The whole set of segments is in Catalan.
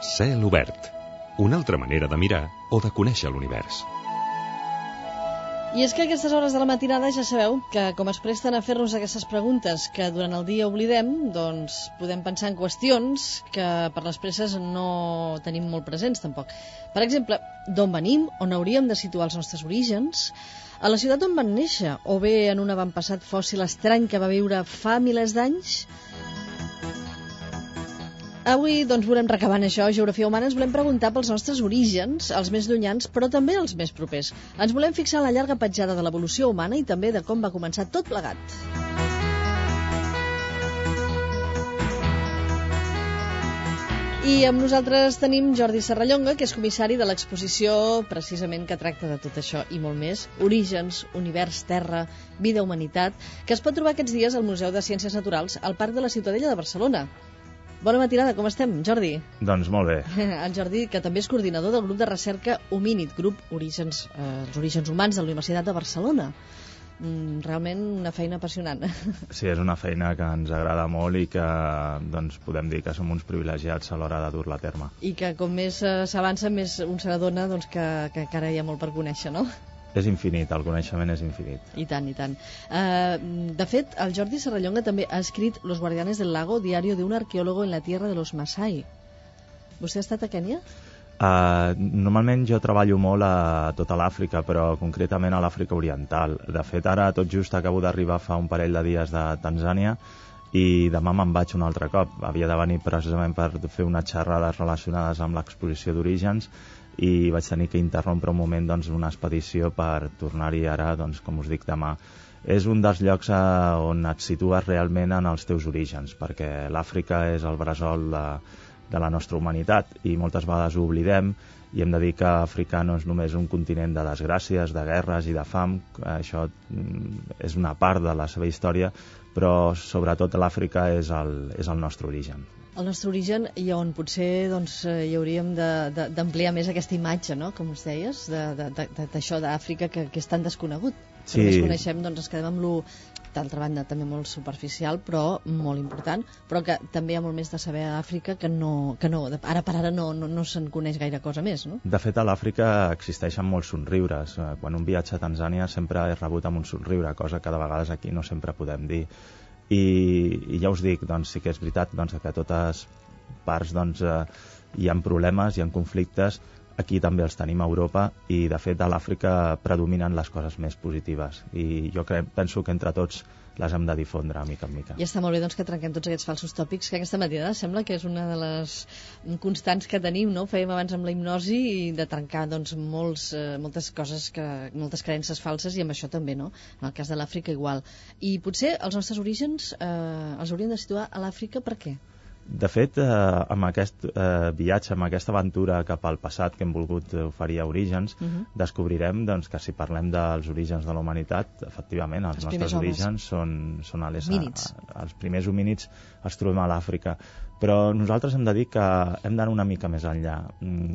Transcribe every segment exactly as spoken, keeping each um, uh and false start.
Cel obert. Una altra manera de mirar o de conèixer l'univers. I és que a aquestes hores de la matinada ja sabeu que com es presten a fer-nos aquestes preguntes que durant el dia oblidem, doncs podem pensar en qüestions que per les presses no tenim molt presents tampoc. Per exemple, d'on venim, on hauríem de situar els nostres orígens, a la ciutat on van néixer, o bé en un avantpassat fòssil estrany que va viure fa milers d'anys. Avui doncs volem recabar en això, Geografia Humana, ens volem preguntar pels nostres orígens, els més llunyans, però també els més propers. Ens volem fixar en la llarga petjada de l'evolució humana i també de com va començar tot plegat. I amb nosaltres tenim Jordi Serrallonga, que és comissari de l'exposició precisament que tracta de tot això i molt més, Orígens, Univers, Terra, Vida, Humanitat, que es pot trobar aquests dies al Museu de Ciències Naturals al Parc de la Ciutadella de Barcelona. Bona matinada, com estem, Jordi? Doncs molt bé. El Jordi, que també és coordinador del grup de recerca Homínid, grup Orígens, eh, els Orígens Humans de la Universitat de Barcelona. Mm, realment una feina apassionant. Sí, és una feina que ens agrada molt i que doncs, podem dir que som uns privilegiats a l'hora de dur-la a terme. I que com més eh, s'avança, més un s'adona doncs, que, que encara hi ha molt per conèixer, no? És infinit, el coneixement és infinit. I tant, i tant. Uh, de fet, el Jordi Serrallonga també ha escrit Los Guardianes del Lago, diario de un arqueólogo en la tierra de los Masai. Vostè ha estat a Kènia? Uh, normalment jo treballo molt a tota l'Àfrica, però concretament a l'Àfrica Oriental. De fet, ara tot just acabo d'arribar fa un parell de dies de Tanzània i demà me'n vaig un altre cop. Havia de venir precisament per fer unes xerrades relacionades amb l'exposició d'Orígens i vaig tenir que interrompre un moment doncs, una expedició per tornar-hi ara, doncs, com us dic, demà. És un dels llocs on et situes realment en els teus orígens, perquè l'Àfrica és el bressol de, de la nostra humanitat i moltes vegades ho oblidem i hem de dir que Àfrica no és només un continent de desgràcies, de guerres i de fam, això és una part de la seva història, però sobretot l'Àfrica és el, és el nostre origen. El nostre origen i on potser doncs, hi hauríem d'ampliar més aquesta imatge, no? Com us deies, d'això d'Àfrica que, que és tan desconegut. Sí. Si només coneixem, doncs ens quedem amb lo, d'altra banda, també molt superficial, però molt important, però que també hi ha molt més de saber a Àfrica que no, que no ara per ara no, no, no se'n coneix gaire cosa més, no? De fet, a l'Àfrica existeixen molts somriures. Quan un viatge a Tanzània sempre és rebut amb un somriure, cosa que de vegades aquí no sempre podem dir. I, i ja us dic, doncs sí que és veritat doncs, que a totes parts doncs, eh, hi ha problemes, hi ha conflictes, aquí també els tenim a Europa i de fet a l'Àfrica predominen les coses més positives i jo crec, penso que entre tots les hem de difondre mica en mica. I està molt bé doncs, que trenquem tots aquests falsos tòpics que aquesta matinada sembla que és una de les constants que tenim, no? Fèiem abans amb la hipnosi i de trencar doncs, molts, eh, moltes coses, que, moltes creences falses i amb això també, no? En el cas de l'Àfrica igual. I potser els nostres orígens eh, els hauríem de situar a l'Àfrica, per què? De fet, eh, amb aquest eh, viatge, amb aquesta aventura cap al passat que hem volgut oferir a Orígens, uh -huh. descobrirem doncs, que si parlem dels orígens de la humanitat, efectivament, els, els nostres orígens són, són a les, a, a, els primers homínids els trobem a l'Àfrica. Però nosaltres hem de dir que hem d'anar una mica més enllà.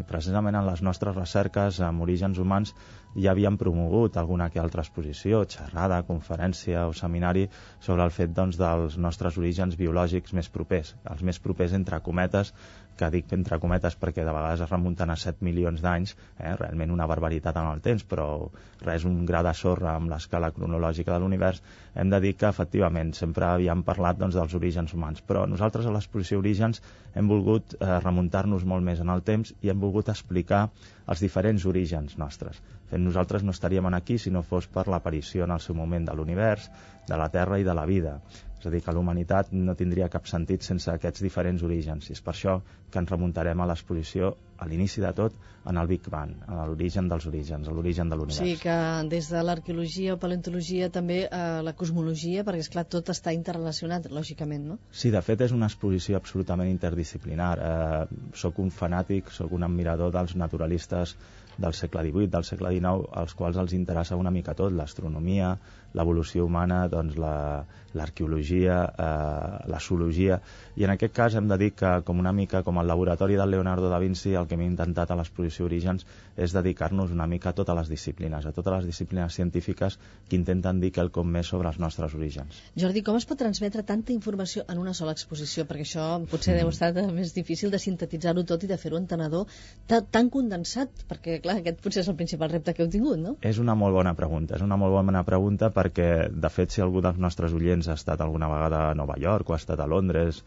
Precisament en les nostres recerques amb orígens humans ja havíem promogut alguna que altra exposició, xerrada, conferència o seminari sobre el fet doncs, dels nostres orígens biològics més propers, els més propers entre cometes, que dic entre cometes perquè de vegades es remunten a set milions d'anys, eh? Realment una barbaritat en el temps, però res, un gra de sorra amb l'escala cronològica de l'univers. Hem de dir que efectivament sempre havíem parlat doncs, dels orígens humans, però nosaltres a l'exposició Orígens hem volgut eh, remuntar-nos molt més en el temps i hem volgut explicar els diferents orígens nostres. Fent nosaltres no estaríem aquí si no fos per l'aparició en el seu moment de l'univers, de la Terra i de la vida. És a dir, que la humanitat no tindria cap sentit sense aquests diferents orígens. I és per això que ens remuntarem a l'exposició, a l'inici de tot, en el Big Bang, a l'origen dels orígens, a l'origen de l'univers. O sigui que des de l'arqueologia o paleontologia també eh, la cosmologia, perquè és clar, tot està interrelacionat, lògicament, no? Sí, de fet és una exposició absolutament interdisciplinar. Eh, soc un fanàtic, soc un admirador dels naturalistes del segle divuit, del segle dinou, als quals els interessa una mica tot, l'astronomia, l'evolució humana, doncs l'arqueologia, eh, la zoologia, i en aquest cas hem de dir que, com una mica com el laboratori del Leonardo da Vinci, el que hem intentat a l'exposició Orígens és dedicar-nos una mica a totes les disciplines, a totes les disciplines científiques que intenten dir quelcom més sobre els nostres orígens. Jordi, com es pot transmetre tanta informació en una sola exposició? Perquè això potser mm. deu estar més difícil de sintetitzar-ho tot i de fer-ho entenedor tan condensat, perquè clar, aquest potser és el principal repte que heu tingut, no? És una molt bona pregunta, és una molt bona pregunta perquè, de fet, si algú dels nostres oients ha estat alguna vegada a Nova York o ha estat a Londres,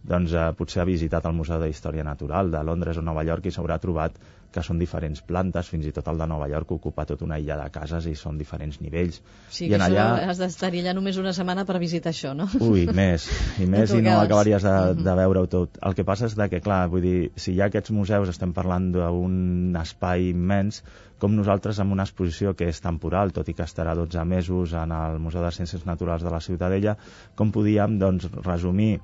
doncs eh, potser ha visitat el Museu de Història Natural de Londres o Nova York i s'haurà trobat que són diferents plantes, fins i tot el de Nova York ocupa tota una illa de cases i són diferents nivells. Sí, que I en allà has d'estar-hi allà només una setmana per visitar això, no? Ui, més, i més i no acabaries de, de veure-ho tot. El que passa és que, clar, vull dir, si hi ha aquests museus, estem parlant d'un espai immens, com nosaltres amb una exposició que és temporal, tot i que estarà dotze mesos en el Museu de Ciències Naturals de la Ciutadella, com podíem, doncs, resumir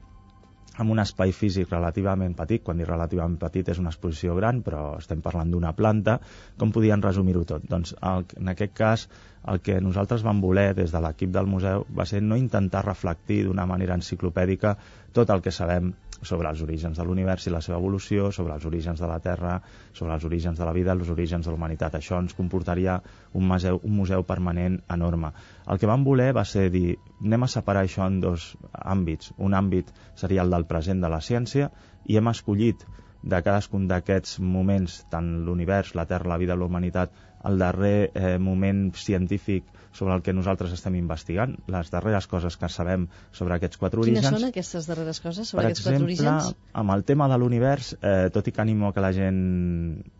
amb un espai físic relativament petit, quan dic relativament petit és una exposició gran, però estem parlant d'una planta, com podien resumir-ho tot? Doncs el, en aquest cas el que nosaltres vam voler des de l'equip del museu va ser no intentar reflectir d'una manera enciclopèdica tot el que sabem sobre els orígens de l'univers i la seva evolució, sobre els orígens de la Terra, sobre els orígens de la vida, els orígens de la humanitat. Això ens comportaria un museu, un museu permanent enorme. El que vam voler va ser dir, anem a separar això en dos àmbits. Un àmbit seria el del present de la ciència i hem escollit de cadascun d'aquests moments, tant l'univers, la Terra, la vida, la humanitat, el darrer eh, moment científic sobre el que nosaltres estem investigant, les darreres coses que sabem sobre aquests quatre orígens. Quines són aquestes darreres coses sobre per aquests quatre exemple, orígens? Per exemple, amb el tema de l'univers, eh, tot i que animo que la gent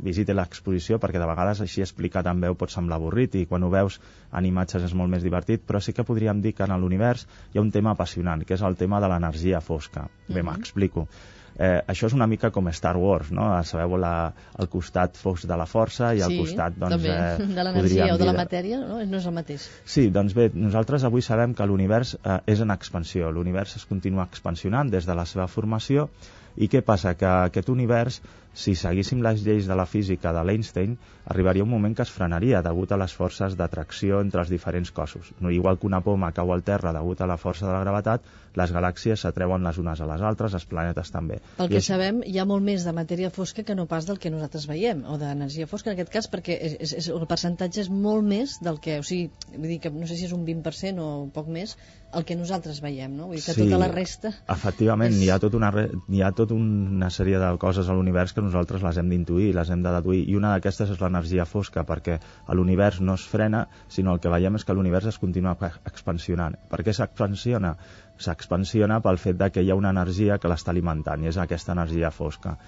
visiti l'exposició, perquè de vegades així explicat en veu pot semblar avorrit i quan ho veus en imatges és molt més divertit, però sí que podríem dir que en l'univers hi ha un tema apassionant, que és el tema de l'energia fosca. Bé, mm-hmm. m'explico. Eh, això és una mica com Star Wars, no? Sabeu la, el costat fosc de la força i sí, el costat, doncs... També. Eh, de l'energia o de la matèria, no? No és el mateix. Sí, doncs bé, nosaltres avui sabem que l'univers eh, és en expansió. L'univers es continua expansionant des de la seva formació i què passa? Que aquest univers, si seguíssim les lleis de la física de l'Einstein, arribaria un moment que es frenaria degut a les forces d'atracció entre els diferents cossos. No, igual que una poma cau al terra degut a la força de la gravetat, les galàxies s'atreuen les unes a les altres, els planetes també. Pel que I sabem, hi ha molt més de matèria fosca que no pas del que nosaltres veiem, o d'energia fosca en aquest cas, perquè és, és, el percentatge és molt més del que, o sigui, vull dir que no sé si és un vint per cent o un poc més, el que nosaltres veiem, no? Vull dir que sí, tota la resta... Efectivament, és... hi ha tot una, hi ha tot una sèrie de coses a l'univers que nosaltres les hem d'intuir, les hem de deduir, i una d'aquestes és l'energia fosca, perquè l'univers no es frena, sinó el que veiem és que l'univers es continua expansionant. Per què s'expansiona? S'expansiona pel fet de que hi ha una energia que l'està alimentant, i és aquesta energia fosca.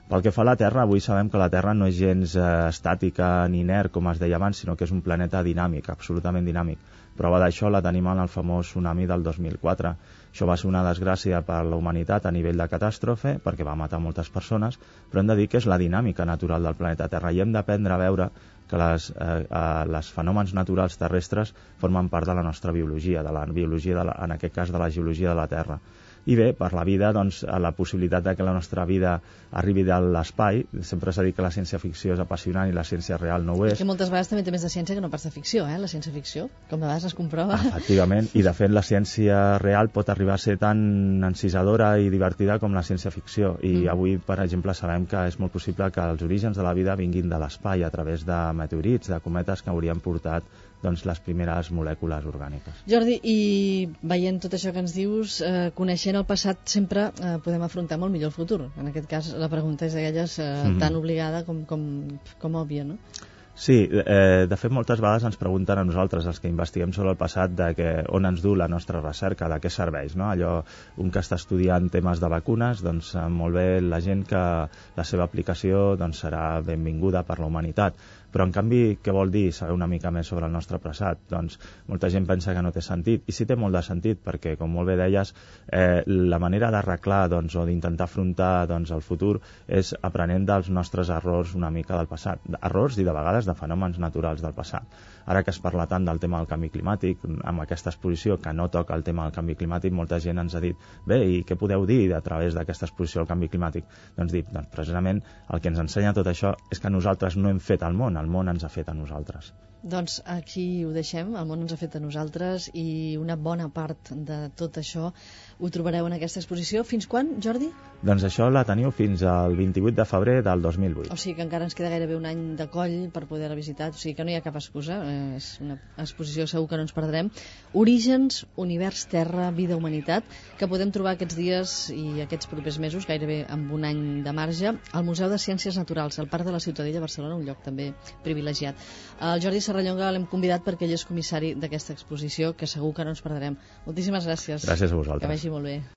Pel que fa a la Terra, avui sabem que la Terra no és gens eh, estàtica ni inert, com es deia abans, sinó que és un planeta dinàmic, absolutament dinàmic. Prova d'això la tenim en el famós tsunami del dos mil quatre. Això va ser una desgràcia per a la humanitat a nivell de catàstrofe, perquè va matar moltes persones, però hem de dir que és la dinàmica natural del planeta Terra, i hem d'aprendre a veure que les, eh, eh, les fenòmens naturals terrestres formen part de la nostra biologia, de la biologia de la, en aquest cas de la geologia de la Terra. I bé, per la vida, doncs, la possibilitat de que la nostra vida arribi de l'espai, sempre s'ha dit que la ciència-ficció és apassionant i la ciència real no ho és. És que moltes vegades també té més de ciència que no pas de ficció, eh, la ciència-ficció, com de vegades es comprova. Efectivament, i de fet la ciència real pot arribar a ser tan encisadora i divertida com la ciència-ficció, i mm. avui, per exemple, sabem que és molt possible que els orígens de la vida vinguin de l'espai a través de meteorits, de cometes que haurien portat doncs, les primeres molècules orgàniques. Jordi, i veient tot això que ens dius, eh, coneixent el passat sempre eh, podem afrontar molt millor el futur. En aquest cas la pregunta és d'aquelles eh, mm-hmm. tan obligada com, com, com òbvia, no? Sí, eh, de fet moltes vegades ens pregunten a nosaltres, els que investiguem sobre el passat, de que, on ens du la nostra recerca, de què serveix, no? Allò, un que està estudiant temes de vacunes, doncs molt bé la gent que la seva aplicació doncs, serà benvinguda per la humanitat. Però, en canvi, què vol dir saber una mica més sobre el nostre passat? Doncs molta gent pensa que no té sentit, i sí té molt de sentit, perquè, com molt bé deies, eh, la manera d'arreglar doncs, o d'intentar afrontar doncs, el futur és aprenent dels nostres errors una mica del passat. Errors i, de vegades, de fenòmens naturals del passat. Ara que es parla tant del tema del canvi climàtic, amb aquesta exposició que no toca el tema del canvi climàtic, molta gent ens ha dit, bé, i què podeu dir a través d'aquesta exposició del canvi climàtic? Doncs dic, doncs precisament el que ens ensenya tot això és que nosaltres no hem fet el món, el món ens ha fet a nosaltres. Doncs aquí ho deixem, el món ens ha fet a nosaltres, i una bona part de tot això ho trobareu en aquesta exposició. Fins quan, Jordi? Doncs això la teniu fins al vint-i-vuit de febrer del dos mil vuit. O sigui que encara ens queda gairebé un any de coll per poder-la visitar, o sigui que no hi ha cap excusa, és una exposició segur que no ens perdrem. Orígens, univers, terra, vida, humanitat, que podem trobar aquests dies i aquests propers mesos, gairebé amb un any de marge, al Museu de Ciències Naturals, al Parc de la Ciutadella, Barcelona, un lloc també privilegiat. El Jordi Serrallonga l'hem convidat perquè ell és comissari d'aquesta exposició, que segur que no ens perdrem. Moltíssimes gràcies. Gràcies a vosaltres. Que vagi molt bé.